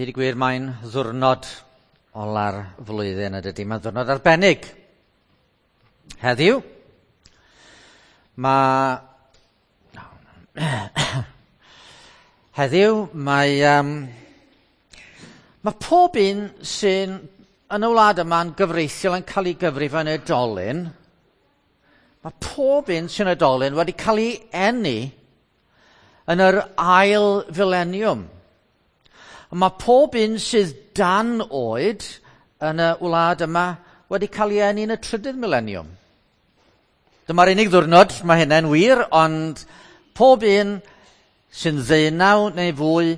Deud y gwir, mae'n ddiwrnod ola'r flwyddyn yn dydy. Mae'n ddiwrnod arbennig. Heddiw, mae... Heddiw, mae... mae pob un sy'n yn y wlad yma'n gyfreithiol yn cael ei gyfrif yn oedolyn, mae pob un sy'n oedolyn wedi cael ei eni yn yr ail fileniwm. Mae pob un sydd dan oed yn y wlad yma wedi cael ei eni yn y trydydd mileniwm. Dyma'r unig ddiwrnod, mae hynny'n wir, ond pob un sy'n 19 neu fwy,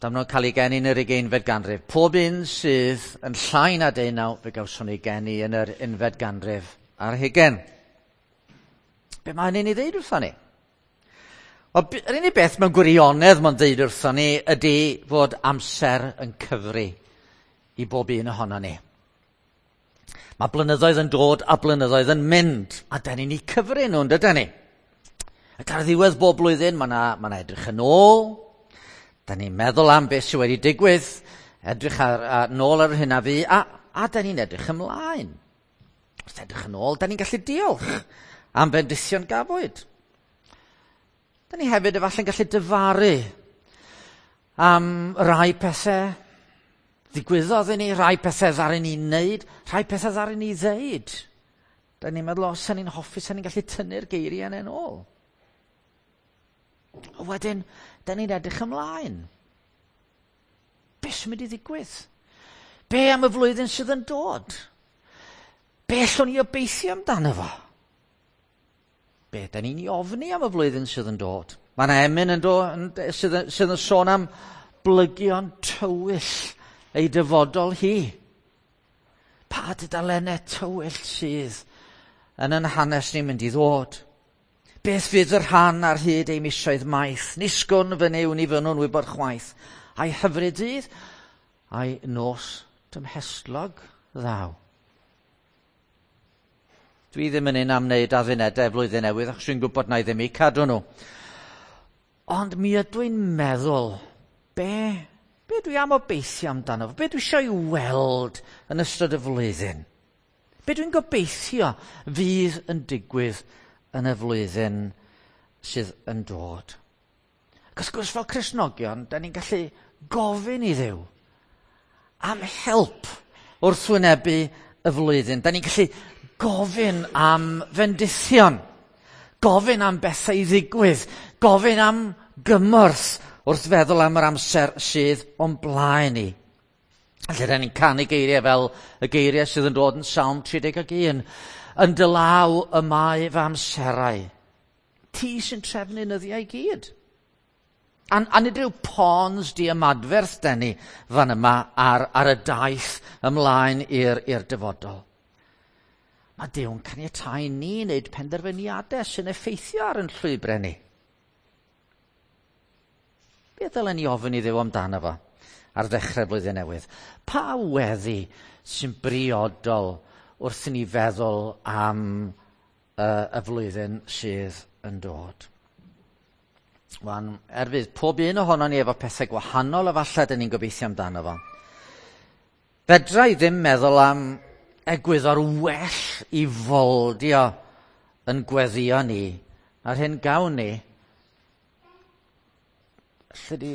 dyma nhw'n cael ei geni yn yr 20fed ganrif. Pob un sydd yn llai na 19, fe gawson ei geni yn yr 10fed ganrif ar hugain. Be mae hynny'n ei ddeud wrthon ni? Wel, yr unig beth mewn gwirionedd mae'n dweud wrthon ni ydy fod amser yn cyfri i bob un ohono ni. Mae blynyddoedd yn dod a blynyddoedd yn mynd, a da ni'n eu cyfri nhw, yn dydyn ni? Ac ar ddiwedd bob blwyddyn, mae yna ma edrych yn ôl, da ni'n meddwl am beth sydd wedi digwydd, edrych ar, ar, nôl ar hyn a fi, a, a da ni'n edrych ymlaen. Wrth edrych yn ôl, da ni'n gallu diolch am bendithion gafwyd. Da ni hefyd efallai'n gallu dyfaru am rai pethau ddigwyddodd i ni, rai pethau ddaru ni wneud, rhai pethau ddaru ni ddeud. Da ni'n meddwl, os ni'n hoffi, sa'n ni'n gallu tynnu'r geiriau yna yn ôl. A wedyn, da ni'n edrych ymlaen. Be sy'n mynd i ddigwydd? Be am y flwyddyn sydd yn dod? Be allwn ni obeithio amdano fo? Be da ni'n ei ofni am y flwyddyn sydd yn dod? Mae yna emyn yn do, yn, sydd, sydd yn sôn am blygion tywyll ei dyfodol hi. Pa dudalennau tywyll sydd yn yn hanes ni'n mynd i ddod? Beth fydd y rhan ar hyd ei misoedd maith? Ni sgwn fy Nuw ni fynnwn wybod chwaith. A'i hyfryd dydd, a'i nos dymhestlog ddaw. Dwi ddim yn un am wneud addunedau flwyddyn newydd, achos dwi'n gwybod na i ddim eu cadw nhw. Ond mi ydw i'n meddwl, be, be dwi am obeithio amdano fo? Be dwi eisiau ei weld yn ystod y flwyddyn? Be dwi'n gobeithio fydd yn digwydd yn y flwyddyn sydd yn dod? Ac wrth gwrs fel Cristnogion, da ni'n gallu gofyn i Dduw am help wrth wynebu y flwyddyn. Da ni'n gallu gofyn am fendithion, gofyn am bethau i ddigwydd, gofyn am gymorth wrth feddwl am yr amser sydd o'n blaen ni. Felly, rydyn ni'n canu geiriau fel y geiriau sydd yn dod yn Salm 31. Yn dy law y mae fy amserau. Ti sy'n trefnu nyddiau i gyd. A, a nid yw pawns di ymadferth den ni fan yma ar, ar y daith ymlaen i'r dyfodol. Mae Duw'n caniatáu ni wneud penderfyniadau sy'n effeithio ar yn llwybrau ni. Be ddylen ni ofyn i Dduw amdano fo ar ddechrau blwyddyn newydd? Pa weddi sy'n briodol wrth i ni feddwl am y flwyddyn sydd yn dod? Wan, er fydd pob un ohonon ni efo pethau gwahanol efallai dyn ni'n gobeithio amdano fo. Fedra i ddim meddwl am egwyddor well i foldio yn gweddio ni a'r hyn gawn ni. Lle di...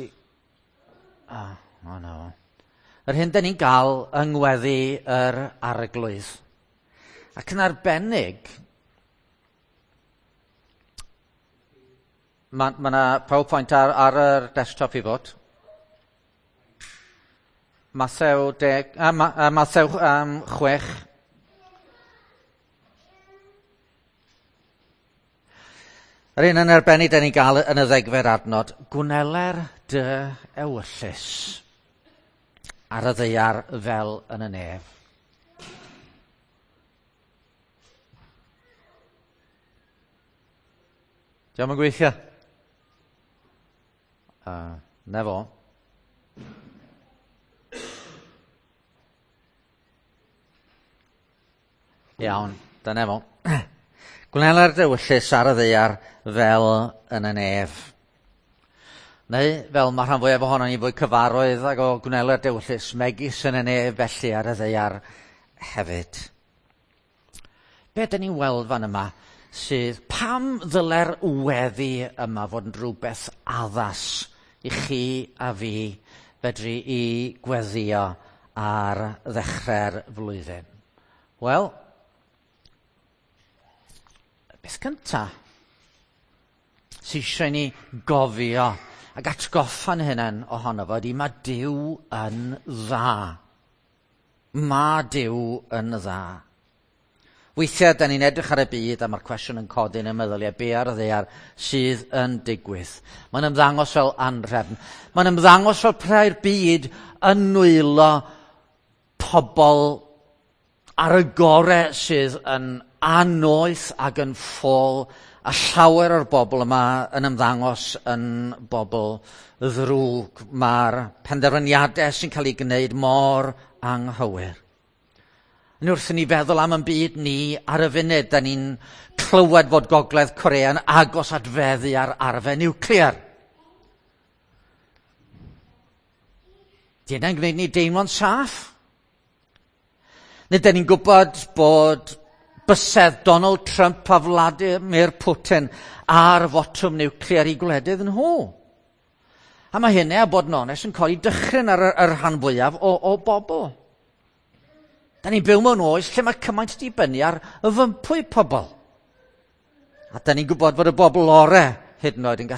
Ah, oh, no. Yr hyn dyn ni'n gael yng ngweddi yr arglwydd. Ac yn arbennig, mae ma 'na PowerPoint ar, ar yr desktop i fod. Mathew deg, a, ma, a Mathew 6. Yr un yn arbennig da ni'n gael yn y ddegfed adnod, gwneler dy ewyllys ar y ddaear fel yn y nef. Diolch yn gweithio? Na fo. Iawn, dyna fo. Gwneler dy ewyllys ar y ddaear fel yn y nef. Neu, fel mae rhan fwyaf ohono ni fwy cyfarwydd ag o gwnelo'r dewyllys, megis yn y nef felly ar y ddaear hefyd. Be dyn ni'n weld fan yma sydd pam ddyle'r weddi yma fod yn rhywbeth addas i chi a fi fedru i gweddio ar ddechrau'r flwyddyn? Wel, beth cyntaf sydd eisiau ni gofio ac atgoffa'n hunain ohono fo ydy mae Duw yn dda. Mae Duw yn dda. Weithiau, da ni'n edrych ar y byd a mae'r cwestiwn yn codi yn y meddyliau, be ar y ddaear sydd yn digwydd? Mae'n ymddangos fel anrhefn. Mae'n ymddangos fel prai'r byd yn nwylo pobl ar y gore sydd yn annoeth ac yn ffôl, a llawer o'r bobl yma yn ymddangos yn bobl ddrwg. Mae'r penderfyniadau sy'n cael ei gwneud mor anghywir. Yn wrth i ni feddwl am yn byd ni ar y funud, da ni'n clywed fod Gogledd Corea yn agos at feddu ar arfau niwclear. Di hynna'n gwneud ni deimlo'n saff? Neu da ni'n gwybod bod bysedd Donald Trump a Vladimir Putin ar fotwm niwclear i gwledydd nhw. A mae hynny, a bod yn onest, yn codi dychryn ar y rhan fwyaf o bobl. Da ni'n byw mewn oes lle mae cymaint dibynnu ar y fympwy pobl. A da ni'n gwybod fod y bobl ore hyd yn oed yn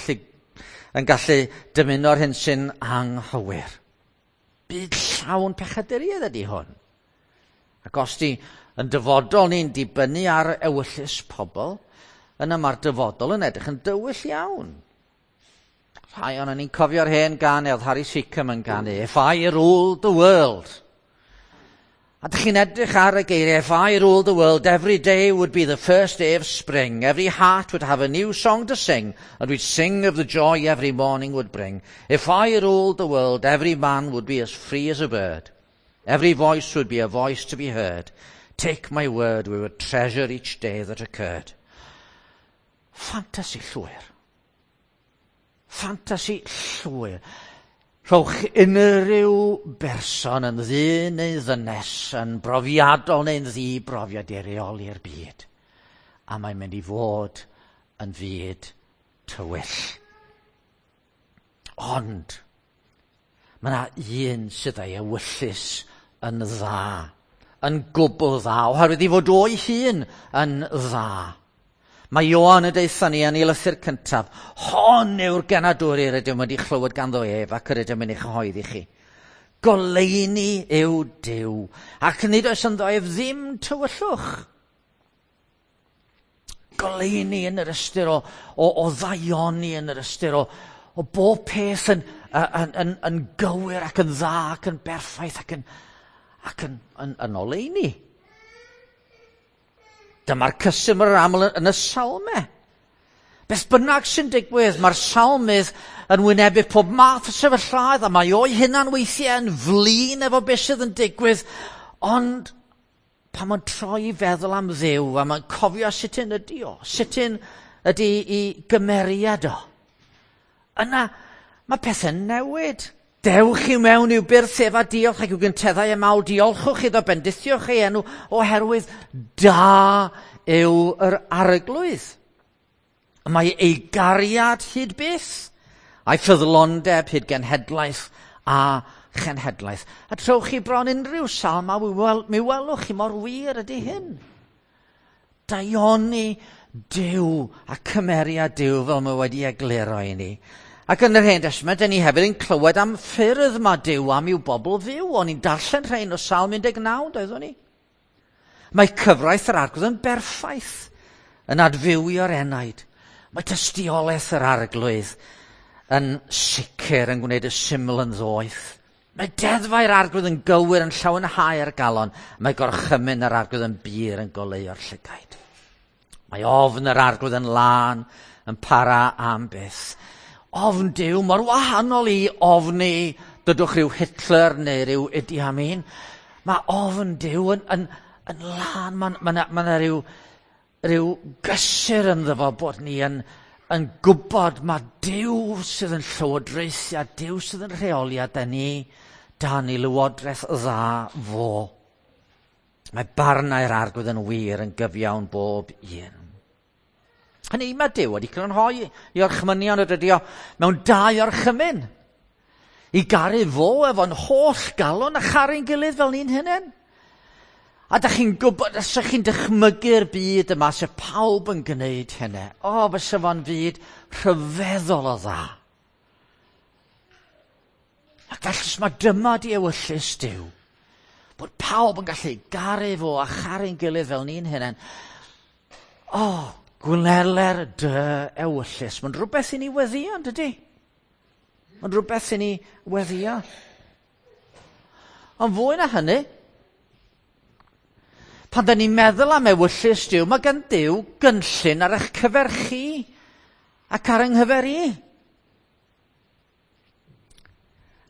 gallu dymuno'r hyn sy'n anghywir. Byd llawn pechaduriaeth ydy hwn. Ac os di yn dyfodol ni'n dibynnu ar ewyllys pobl, yna mae'r dyfodol yn edrych yn dywyll iawn. Rhai o'n ni'n cofio'r hen gan oedd Harry Seacombe yn ganu, "If I ruled the world." A dych chi'n edrych ar y geiriau, "If I ruled the world, every day would be the first day of spring. Every heart would have a new song to sing, and we'd sing of the joy every morning would bring. If I ruled the world, every man would be as free as a bird. Every voice would be a voice to be heard. Take my word, we would treasure each day that occurred." Ffantasi llwyr. Ffantasi llwyr. Rhowch unrhyw berson yn ddyn neu ddynes, yn brofiadol neu'n ddi-brofiad i reoli'r byd. A mae'n mynd i fod yn fyd tywyll. Ond, mae yna un sydd â'i ewyllys yn dda, yn gwbl dda, oherwydd i fod o'i hun yn dda. Mae Ioan yn deutha ni yn ei lythyr cyntaf, hon yw'r genadwri yr ydym wedi chlywed ganddo ef ac yr ydym yn ei chyhoeddi chi. Goleuni yw Duw, ac nid oes ynddo ef ddim tywyllwch. Goleuni yn yr ystyr o ddaioni, yn yr ystyr o bob peth yn gywir ac yn dda ac yn berffaith ac yn oleuni. Dyma'r cysur yr aml yn y salmau. Beth bynnag sy'n digwydd, mae'r salmydd yn wynebu pob math o sefyllfaoedd, a mae o'i hunan weithiau yn flin efo beth sydd yn digwydd, ond pan mae'n troi i feddwl am Dduw, a mae'n cofio sut un ydy o, sut un ydy i gymeriad o, yna mae pethau'n newid. Dewch i mewn i'w byrth ef a diolch ac i'w gynteddau y mawl, diolchwch iddo, bendithiwch ei enw, oherwydd da yw yr arglwydd. Mae ei gariad hyd byth, a'i ffyddlondeb hyd genhedlaeth a chenhedlaeth. A trowch chi bron unrhyw salm a mi welwch chi mor wir ydy hyn. Daioni Duw a cymeriad Duw fel mae wedi egluro i ni. Ac yn yr Hen Testament, dyn ni hefyd yn clywed am ffyrdd mae Duw am i'w bobl fyw. O'n i'n darllen rhain o Salm 19, doeddwn ni. Mae cyfraith yr arglwydd yn berffaith, yn adfywio'r enaid. Mae tystiolaeth yr arglwydd yn sicr yn gwneud y syml yn ddoeth. Mae deddfau'r arglwydd yn gywir yn llawenhau'r galon. Mae gorchymyn yr arglwydd yn bur yn goleuo'r llygaid. Mae ofn yr arglwydd yn lân, yn para am byth. Ofn Duw mor wahanol i ofni, dydwch rhyw Hitler neu rhyw Idi Amin. Mae ofn Duw yn lân, mae yna rhyw gysur ynddo fo bod ni yn yn gwybod mae Duw sydd yn llywodraethu a Duw sydd yn rheoli a da ni dan ei lywodraeth dda fo. Mae barnau'r arglwydd yn wir yn gyfiawn bob un. Hynny, mae Duw wedi crynhoi i orchmynion y dydi o mewn dau orchymyn. I garu fo efo'n holl galon a charu'n gilydd fel ni'n hunain. A da chi'n gwybod, os ydych chi'n dychmygu'r byd yma, se pawb yn gwneud hynny. O, fysa fo'n fyd rhyfeddol o dda. Ac felly, os mae dyma di ewyllys Duw, bod pawb yn gallu garu fo a charu'n gilydd fel ni'n hunain. O, gwneler dy ewyllys. Mae'n rhywbeth i ni weddio, yn dydy? Mae'n rhywbeth i ni weddio. Ond fwy na hynny, pan da ni'n meddwl am ewyllys Duw, mae gan Duw gynllun ar eich cyfer chi ac ar yng nghyfer i.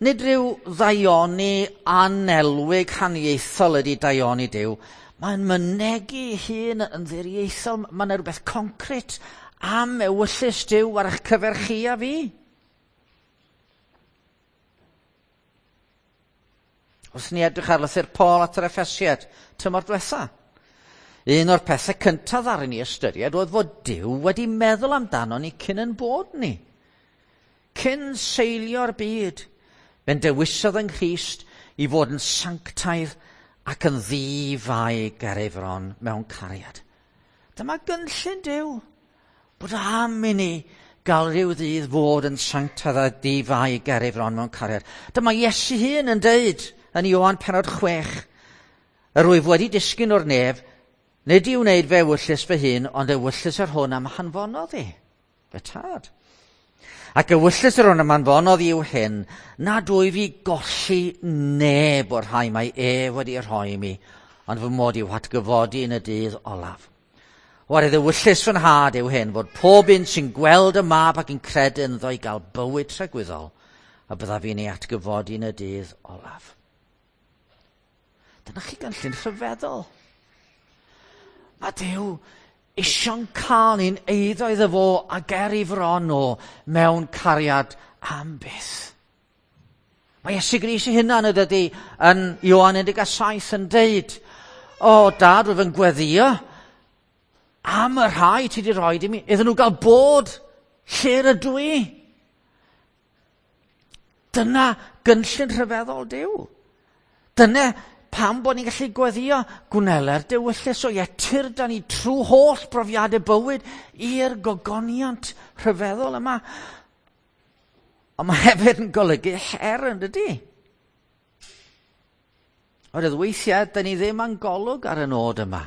Nid rhyw ddaioni anelwig haniaethol ydy daioni Duw. Mae'n mynegi hun yn ddiriaethol. Mae'n rhywbeth concret am ewyllys Duw ar eich cyfer chi a fi. Wrth ni edrych ar lythyr Paul at yr Effesiad tymor diwetha. Un o'r pethau cyntaf ar ni ystyried oedd fod Duw wedi meddwl amdano ni cyn yn bod ni. Cyn seilio'r byd. Fe'n dewisodd yng Nghrist i fod yn sanctaidd ac yn ddi-fai ger ei fron mewn cariad. Dyma gynllun Duw, bod am i ni gael rhyw ddydd fod yn sanctaidd a di-fai ger ei fron mewn cariad. Dyma Iesu hun yn deud yn Ioan penod 6, yr wyf wedi disgyn o'r nef, nid i wneud fe ewyllys fy hun, ond ewyllys yr hwn am hanfonodd i, fy tad. Ac ewyllys yr hwn am anfonodd i yw hyn, nad wyf i golli neb o'r rhai mae ef wedi rhoi i mi, ond fy mod i'w hatgyfodi yn y dydd olaf. Oherwydd ewyllys fy nhad yw hyn, fod pob un sy'n gweld y mab ac yn credu ynddo i gael bywyd tragwyddol, a byddaf fi'n ei atgyfodi yn y dydd olaf. Dyna chi gynllun rhyfeddol. Mae Duw isio'n cael ni'n eiddo iddo fo a ger ei fron o mewn cariad am byth. Mae Iesu Grist ei hunan y dydy yn Ioan 17 yn deud, o dad, rwyf yn gweddio am y rhai ti wedi rhoi i mi, iddyn nhw gael bod lle rydw i. Dyna gynllun rhyfeddol Duw. Dyna pam bod ni'n gallu gweddio gwneler dewyllys o ie, tyrd â ni trwy holl brofiadau bywyd i'r gogoniant rhyfeddol yma. Ond mae hefyd yn golygu her yn dydy. Oherwydd weithiau, da ni ddim yn golwg ar y nod yma.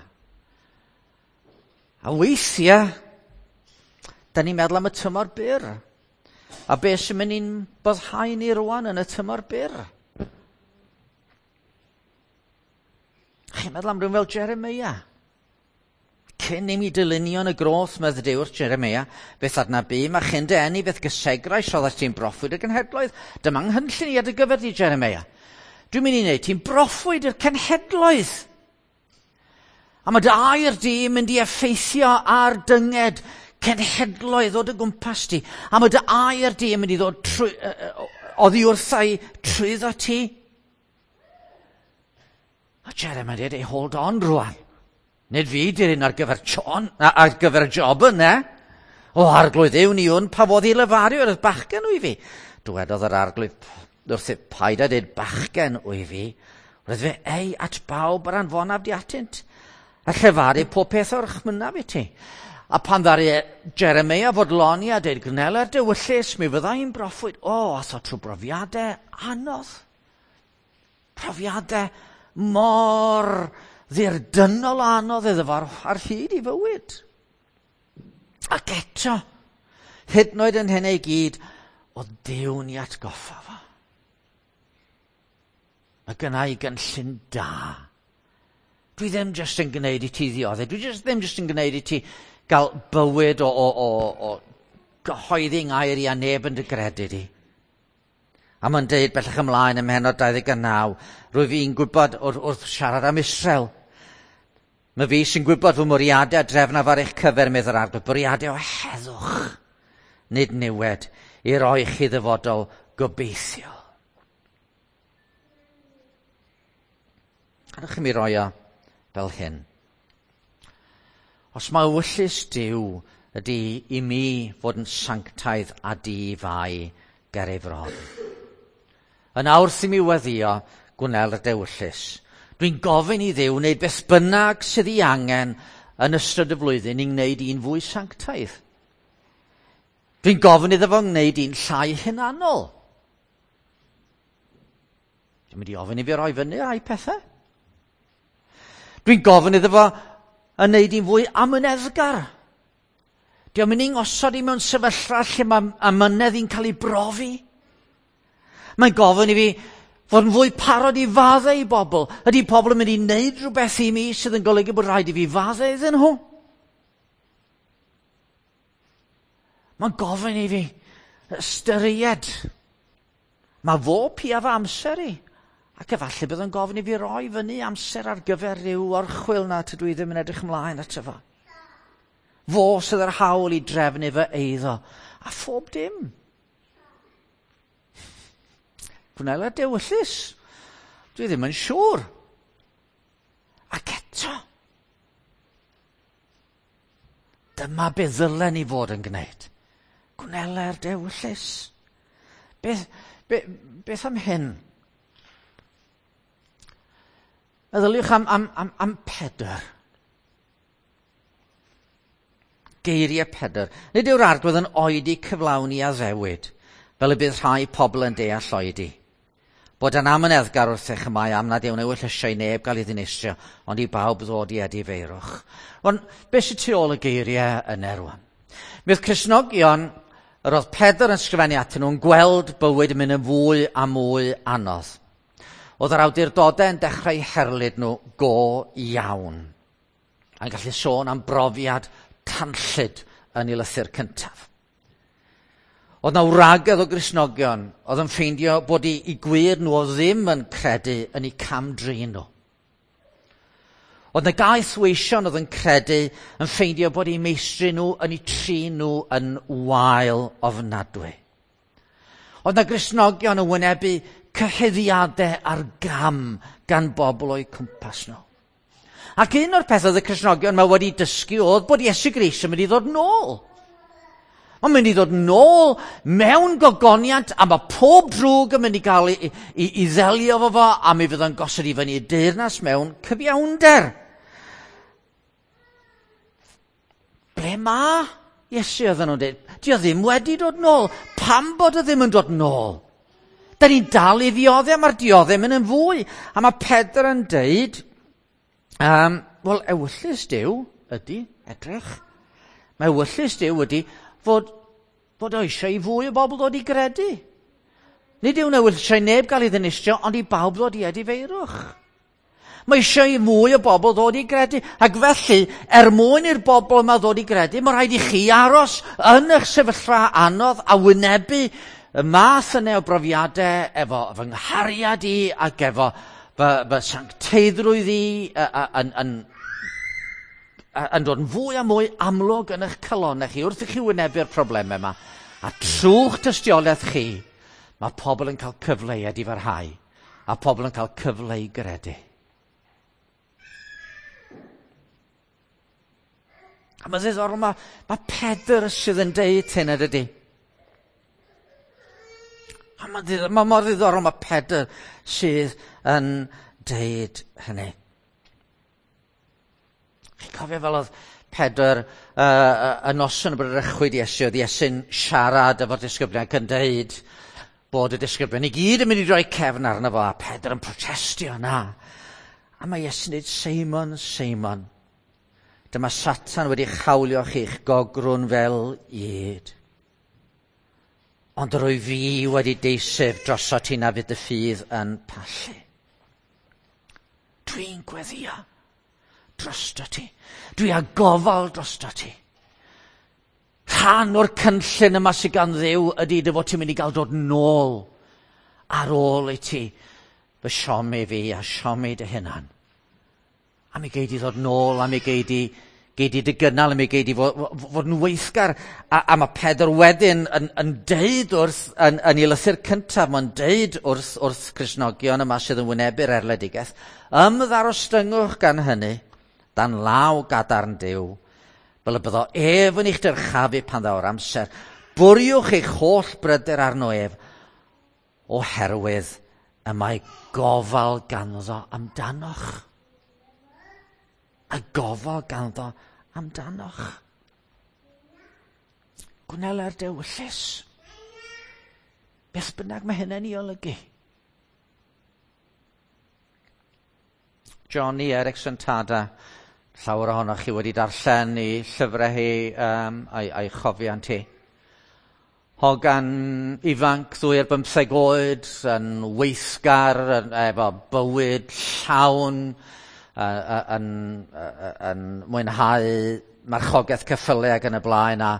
A weithiau, da ni'n meddwl am y tymor byr. A beth sy'n mynd i'n boddhau ni rwan yn y tymor byr? Chi'n meddwl am rhywun fel Jeremia? Cyn i mi dylunio yn y groth, medd Duw wrth Jeremia, beth adnabu, mae chyn dy eni, beth gysegrau, sioddas ti'n broffwyd y genhedloedd. Dyma nghynllun i ar dy gyfer di, Jeremia. Dwi'n mynd i wneud ti'n broffwyd i'r cenhedloedd. A mae dy air di yn mynd i effeithio ar dynged cenhedloedd o dy gwmpas di. A mae dy air di yn mynd i ddod trwy, oddi wrtha i trwyddo ti. A Jeremiah dweud, hey, hold on rwan. Nid fi di'r un ar gyfer John, ar gyfer y job yna. O, arglwydd yw ni hwn, pa fodd i lefaru o'r bachgen wyf fi. Dywedodd yr arglwydd wrth paid a dweud bachgen wyf fi. Roedd fe ei at bawb yr anfonaf di atynt. A llefaru pob peth o'r chmynaf i ti. A pan ddaru Jeremia fodloni a dweud gwneler dewyllys, mi fydda i'n broffwyd. O, ath o trwy brofiadau anodd. Profiadau mor ddirdynol anodd iddo fo ar hyd i fywyd. Ac eto, hyd yn oed yn hynny i gyd, oedd Duw'n i atgoffa fo. Mae gynna i gynllun da. Dwi ddim jyst yn gwneud i ti ddioddef. Dwi ddim jyst yn gwneud i ti gael bywyd o gyhoeddi ngair i a neb yn dy gredu di. A mae'n deud bellach ymlaen ym mhennod 29, rwyf fi'n gwybod wrth siarad am Israel. Mae fi sy'n gwybod fy mwriadau a drefnaf ar eich cyfer, medd yr arglwydd, bwriadau o heddwch nid niwed, i roi chi ddyfodol gobeithiol. Gadewch i mi roi o fel hyn. Os mae ewyllys Duw ydy i mi fod yn sanctaidd a di-fai ger ei fron. Yn awr wrth i mi weddïo, gwnel y dewyllys. Dwi'n gofyn i Dduw wneud beth bynnag sydd ei angen yn ystod y flwyddyn i wneud un fwy sanctaidd. Dwi'n gofyn iddo fo wneud un llai hunanol. Dwi'n mynd i ofyn i fi roi fyny rai pethau. Dwi'n gofyn iddo fo yn wneud un fwy amyneddgar. Dwi'n mynd i'n ngosod i mewn sefyllfa lle mae amynedd i'n cael ei brofi. Mae'n gofyn i fi fod yn fwy parod i faddau i bobl. Ydy pobl yn mynd i wneud rhywbeth i mi sydd yn golygu bod rhaid i fi faddau iddyn nhw? Mae'n gofyn i fi ystyried. Mae fo pia fy amser i. Ac efallai bydd yn gofyn i fi roi fyny amser ar gyfer rhyw orchwyl na tydw i ddim yn edrych ymlaen ato fo. Fo sydd â'r hawl i drefnu fy eiddo. A phob dim. Gwnela dewyllys. Dwi ddim yn siŵr. Ac eto, dyma be ddylen ni fod yn gwneud. Gwnela'r dewyllys. Beth am hyn? Meddyliwch am Pedr. Geiriau Pedr. Nid yw'r Arglwydd yn oedi cyflawni addewid, fel y bydd rhai pobl yn deall oedi. Bod yn amyneddgar wrthych y mae am nad yw'n ewyllysio i neb gael ei ddinistrio, ond i bawb ddod i edifeirwch. Ond beth sydd tu ôl y geiriau yna rwan? Mi oedd Cristnogion, yr oedd Pedr yn sgrifennu atyn nhw'n gweld bywyd yn mynd yn fwy a mwy anodd. Oedd yr awdurdodau yn dechrau herlid nhw go iawn. A'n gallu sôn am brofiad tanllyd yn ei lythyr cyntaf. Oedd na wragedd o Gristnogion oedd yn ffeindio bod i gwir nhw oedd ddim yn credu yn eu cam-drin nhw. Oedd na gaethweision oedd yn credu yn ffeindio bod eu meistri nhw yn eu trin nhw yn wael ofnadwy. Oedd na Gristnogion yn wynebu cyhuddiadau ar gam gan bobl o'u cwmpas nhw. Ac un o'r pethau oedd y Cristnogion yma wedi dysgu oedd bod Iesu Grist yn mynd i ddod nôl. Mae'n mynd i ddod nôl mewn gogoniant a mae pob drwg yn mynd i gael i ddelio efo fo a mi fydd o'n gosod i fyny y deyrnas mewn cyfiawnder. Ble mae Iesu oedden nhw'n dweud? Di o ddim wedi dod nôl. Pam bod o ddim yn dod nôl? Da ni'n dal i ddioddef, mae'r dioddef mynd yn fwy. A mae Pedr yn deud, wel, ewyllys Duw ydy, edrych. Mae ewyllys Duw ydy fod o eisiau i fwy o bobl ddod i gredu. Nid yw'n ewyllysio i neb gael ei ddinistrio, ond i bawb ddod i edifeirwch. Mae eisiau i mwy o bobl ddod i gredu. Ac felly, er mwyn i'r bobl yma ddod i gredu, mae rhaid i chi aros yn eich sefyllfa anodd a wynebu y math yna o brofiadau efo fy nghariad i ac efo fy sancteiddrwydd i yn dod yn fwy a mwy amlwg yn eich calonnau chi wrth i chi wynebu'r problemau yma. A trwy'ch tystiolaeth chi, mae pobl yn cael cyfle i edifarhau a pobl yn cael cyfle i gredu. A mae'n ddiddorol, mae Pedr sydd yn deud hyn, ydy. A mae mor ddiddorol, mae Pedr sydd yn deud hynny. Chi'n cofio fel oedd Pedr y noson y bradychwyd Iesu, oedd Iesu'n siarad efo'r disgyblion ac yn deud bod y disgyblion i gyd yn mynd i roi cefn arno fo, a Pedr yn protestio na. A mae Iesu'n dweud, Seimon, Seimon, dyma Satan wedi chawlio chi'ch gogrwn fel ŷd. Ond rwy fi wedi deisef drosot ti na fydd dy ffydd yn pallu. Dwi'n gweddio drosto ti. Dwi â gofal drosto ti. Rhan o'r cynllun yma sydd gan Dduw ydy dy fod ti'n mynd i gael dod nôl ar ôl i ti fy siomi fi a siomi dy hunan. A mi gei di ddod nôl, a mi gei di Gei di dy gynnal, mi gei di fod yn weithgar. A mae Pedr wedyn yn deud wrth, yn ei lythyr cyntaf, mae'n deud wrth Cristnogion yma sydd yn wynebu'r erledigaeth, ymddarostyngwch gan hynny, dan law gadarn Duw, fel y byddo ef yn eich dyrchafu pan ddaw'r amser. Bwriwch eich holl bryder arno ef, oherwydd y mae gofal ganddo amdanoch. A gofal ganddo amdanoch. Gwneler dewyllys. Beth bynnag mae hynny'n ei olygu. Joni Eareckson Tada, llawer ohonoch chi wedi darllen ei llyfrau hi a'i chofiant hi. Hogan ifanc, 22 oed, yn weithgar, efo bywyd llawn, yn mwynhau marchogaeth ceffylau ac yn y blaen, a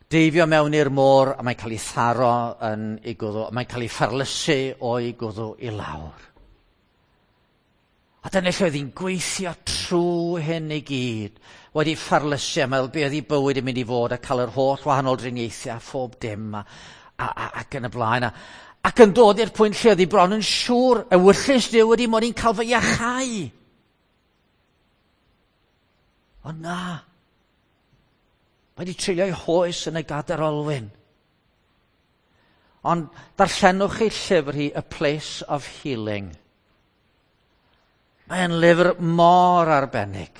deifio mewn i'r môr, a mae'n cael ei tharo yn ei gwddw, mae'n cael ei pharlysu o'i gwddw i lawr. A dyna lle oedd hi'n gweithio trwy hyn i gyd, wedi pharlysu, a meddwl be oedd ei bywyd yn mynd i fod, a cael yr holl wahanol driniaethau a phob dim, ac yn y blaen. Ac yn dod i'r pwynt lle oedd hi bron yn siŵr, ewyllys Duw wedi mod i'n cael fy iachau. Ond na, mae wedi treulio'i hoes yn y gadair olwyn. Ond darllenwch chi llyfr hi, A Place of Healing. Mae'n lyfr mor arbennig.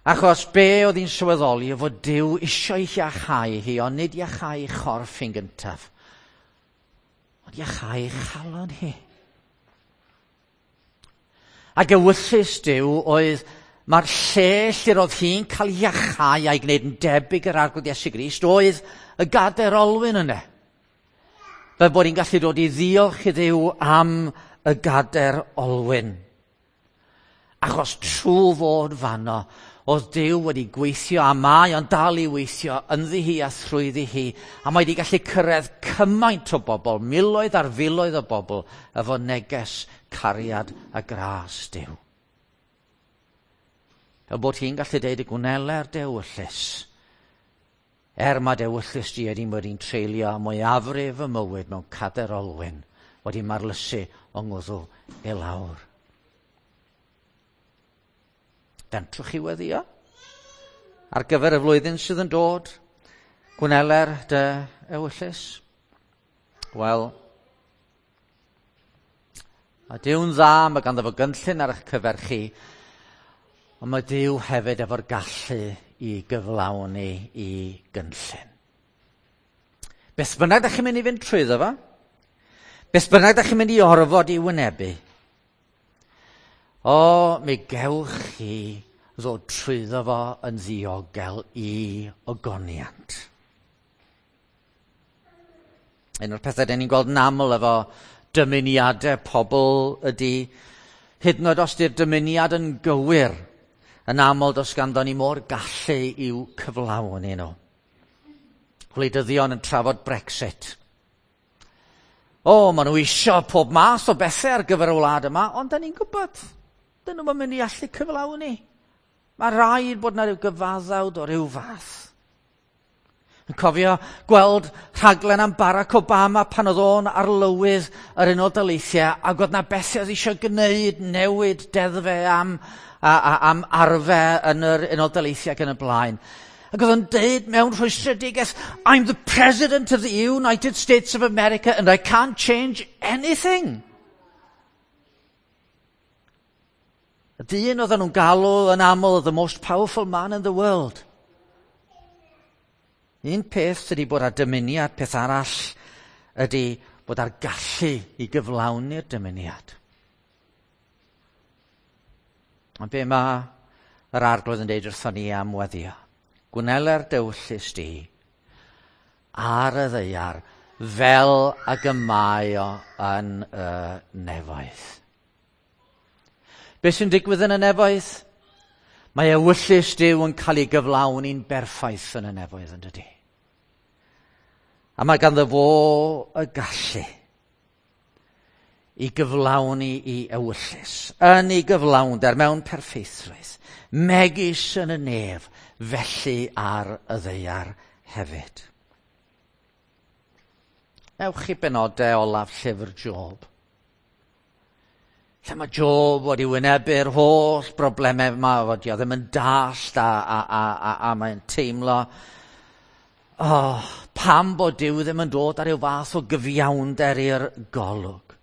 Achos be oedd hi'n sylweddoli oedd fod Duw eisiau iachau hi, ond nid iachau chorff hi'n gyntaf, ond iachau chalon hi. Ac ewyllys Duw oedd mae'r lle lle roedd hi'n cael iachau a'i gwneud yn debyg yr Arglwydd Iesu Grist oedd y gadair olwyn yna. Fel bod hi'n gallu dod i ddiolch i Dduw am y gadair olwyn. Achos trwy fod fanno, oedd Duw wedi gweithio, a mae o'n dal i weithio ynddi hi a thrwyddi hi, a mae wedi gallu cyrraedd cymaint o bobl, miloedd ar filoedd o bobl, efo neges, cariad a gras Duw. Fel bod hi'n gallu deud y gwneler dewyllys, er mae dewyllys di wedi wedi'n treulio mwyafrif y mywyd mewn cadair olwyn, wedi marlysu o ngwddw i lawr. Fentrwch chi weddio ar gyfer y flwyddyn sydd yn dod? Gwneler dy ewyllys? Wel, a Duw'n dda, mae ganddo fo gynllun ar eich cyfer chi, ond mae Duw hefyd efo'r gallu i gyflawni i gynllun. Beth bynnag da chi'n mynd i fynd trwyddo fo, beth bynnag da chi'n mynd i orfod i wynebu, o, mi gewch chi ddod trwyddo fo yn ddiogel i ogoniant. Un o'r pethau den ni'n gweld yn aml efo dymuniadau pobl ydy, hyd yn oed os di'r dymuniad yn gywir, yn aml does ganddo ni mo'r gallu i'w cyflawni nhw. Gwleidyddion yn trafod Brexit. O, maen nhw isio pob math o bethau ar gyfer y wlad yma, ond da ni'n gwybod, dyn nhw'n mynd i allu cyflawni. Mae rhaid bod yna rhyw gyfaddawd o ryw fath. Yn cofio gweld rhaglen am Barack Obama pan oedd o'n arlywydd yr Unol Daleithiau, ac oedd na bethau oedd eisiau gwneud, newid deddfau am arfau yn yr Unol Daleithiau ac yn y blaen. Ac oedd o'n deud mewn rhwystredigaeth, I'm the President of the United States of America and I can't change anything. Y dyn oedden nhw'n galw yn aml the most powerful man in the world. Un peth ydy bod â dymuniad, peth arall ydy bod â'r gallu i gyflawni'r dymuniad. Ond be mae yr Arglwydd yn deud wrthon ni am weddio? Gwneler dewyllys di ar y ddaear fel ag y mae o yn y nefoedd. Be sy'n digwydd yn y nefoedd? Mae ewyllys Duw yn cael ei gyflawni'n berffaith yn y nefoedd, yn dydi? A mae ganddo fo y gallu i gyflawni i ewyllys, yn ei gyflawnder mewn perffeithrwydd, megis yn y nef, felly ar y ddaear hefyd. Ewch i benodau olaf llyfr Job. Lle mae Job wedi wynebu'r holl broblemau yma, fod o ddim yn dallt a mae'n teimlo, oh, pam bod Duw ddim yn dod ar ryw fath o gyfiawnder i'r golwg.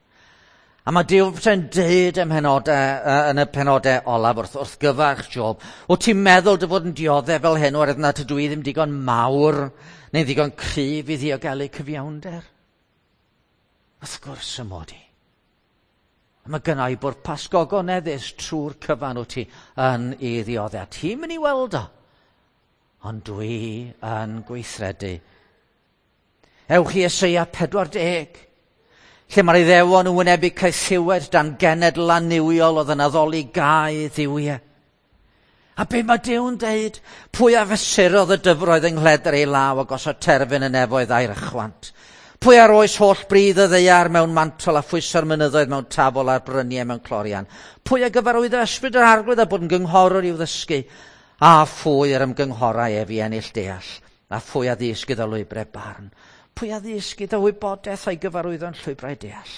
A mae Duw yn deud ym mhenodau, yn y penodau olaf wrth gyfarch Job, o ti'n meddwl dy fod yn dioddef fel hyn oherwydd na tydw i ddim digon mawr neu ddigon cryf i ddiogelu cyfiawnder? Wrth gwrs y mod i. A mae gynna i bwrpas gogoneddus trwy'r cyfan wyt ti yn ei ddioddef. Ti'n mynd i weld o, ond dwi yn gweithredu. Ewch i Eseia 40, lle mae'r Iddewon yn wynebu caethiwed dan genedl annuwiol oedd yn addoli gau dduwiau. A be mae Duw'n deud? Pwy a fesurodd y dyfroedd yng nghledr ei law a gosod terfyn y nefoedd a'i rychwant? Pwy a roes holl bridd y ddaear mewn mantol a phwyso'r mynyddoedd mewn tafol a'r bryniau mewn clorian? Pwy a gyfarwyddo ysbryd yr arglwydd a bod yn gynghorwr i'w ddysgu? A phwy yr ymgynghorau ef i ennill deall? A phwy a ddysg iddo lwybrau barn? Pwy a ddysg iddo wybodaeth a'i gyfarwyddo'n llwybrau deall?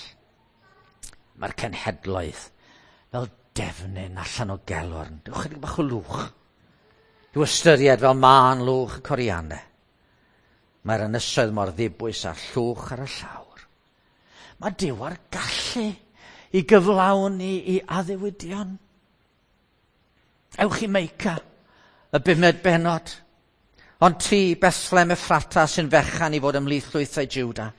Mae'r cenhedloedd fel defnyn allan o gelwrn. Dewch chydig bach o lwch. I'w ystyried fel mân lwch y coriannau. Mae'r ynysoedd mor ddibwys a'r llwch ar y llawr. Mae Duw ar gallu i gyflawni i addewidion. Ewch i Meica, y bumed bennod. Ond ti, Bethlehem Ephrata, sy'n fechan i fod ymhlith llwythau Juda.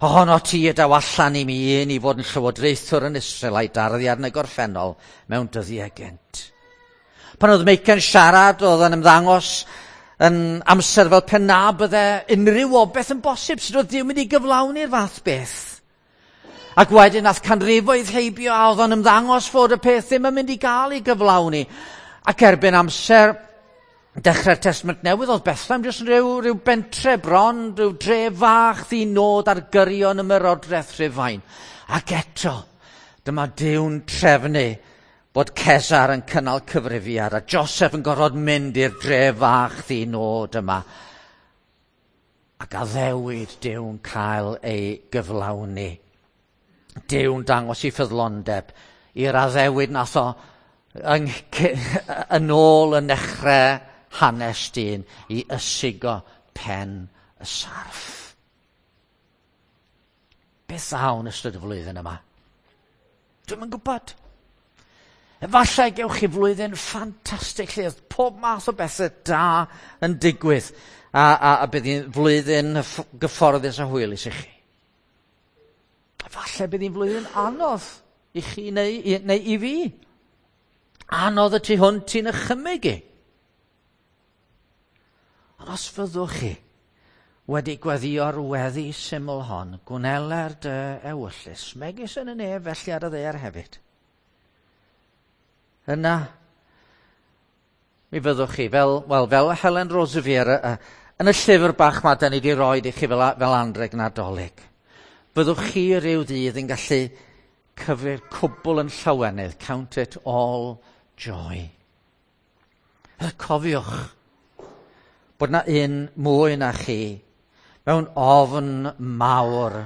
Ohono ti y daw allan i mi un i fod yn llywodraethwr yn Israel a'i darddiad yn y gorffennol mewn dyddiau gynt. Pan oedd Meica'n siarad, oedd yn ymddangos yn amser fel pe na bydde unrhyw obaith yn bosib, sydd oedd Duw mynd i gyflawni'r fath beth. Ac wedyn nath canrifoedd heibio a oedd o'n ymddangos fod y peth ddim yn mynd i gael ei gyflawni. Ac erbyn amser dechrau'r Testament Newydd, oedd Bethlehem jyst yn rhyw bentre bron, rhyw dre fach ddinod ar gyrion ymerodraeth Rhufain. Ac eto, dyma Duw'n trefnu bod Cesar yn cynnal cyfrifiad a Joseph yn gorfod mynd i'r dre fach ddinod yma. Ac addewid Duw'n cael ei gyflawni. Duw'n dangos ei ffyddlondeb i'r addewid nath o yn ôl yn nechrau hanes dyn i ysigo pen y sarff. Beth ddaw yn ystod y flwyddyn yma? Dwi'm yn gwybod. Efallai gewch chi flwyddyn ffantastig lle oedd pob math o bethau da yn digwydd a bydd hi'n flwyddyn gyfforddus a hwylus i chi. Efallai bydd hi'n flwyddyn anodd i chi neu i fi. Anodd y tu hwnt i'n ychymyg i. Ond os fyddwch chi wedi gweddïo'r weddi syml hon, gwneler dy ewyllys, megis yn y nef felly ar y ddaear hefyd. Yna, mi fyddwch chi, fel Helen Roseveare, yn y llyfr bach ma da ni wedi roi i chi fel anrheg Nadolig, fyddwch chi ryw ddydd yn gallu cyfri'r cwbl yn llawenydd, count it all joy. Cofiwch bod na un mwy na chi mewn ofn mawr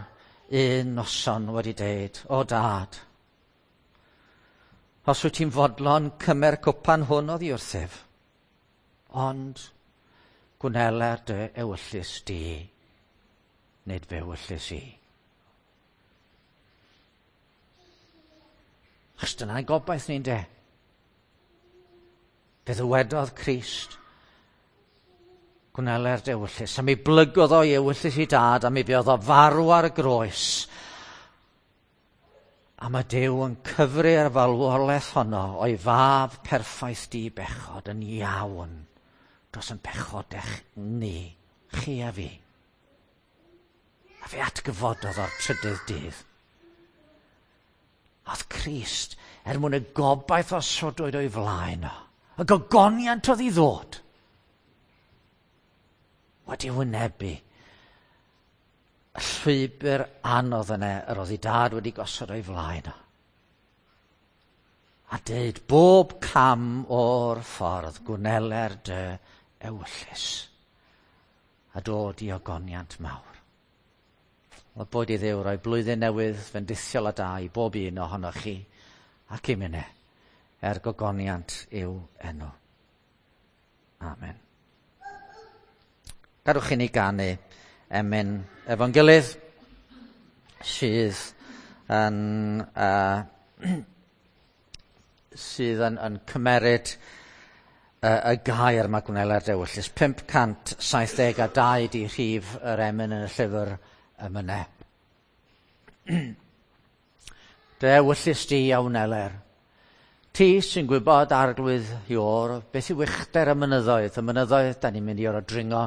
un noson wedi deud, o dad, os wyt ti'n fodlon cymer cwpan hwn oddi wrthyf, ond gwneler dy ewyllys di, nid fy ewyllys i. Achos dyna'n gobaith ni'n de. Fe ddywedodd Crist, gwneler dy ewyllys, a mi blygodd o'i ewyllys i dad, a mi fuodd o farw ar y groes. A mae Duw yn cyfri'r farwolaeth honno o'i fab perffaith di bechod yn iawn dros yn pechodech ni, chi a fi. A fe atgyfododd o'r trydydd dydd. Oedd Crist, er mwyn y gobaith osodwyd o'i flaen o, y gogoniant oedd i ddod, wedi wynebu Y llwybr anodd yna yr oedd ei dad wedi gosod o'i flaen o. A deud bob cam o'r ffordd gwneler dy ewyllys a dod i ogoniant mawr. Wel, boed i Dduw roi blwyddyn newydd fendithiol a da i bob un ohonoch chi ac i minne er gogoniant i'w enw. Amen. Gadwch i ni ganu emyn efo'n gilydd sydd yn, sydd yn, yn cymeryd y gair mae gwneler dewyllys. 572 di rhif yr emyn yn y llyfr emynau. Dy ewyllys di a wneler. Ti sy'n gwybod arglwydd Iôr, beth yw uchder y mynyddoedd, y mynyddoedd da ni'n mynd i orfod dringo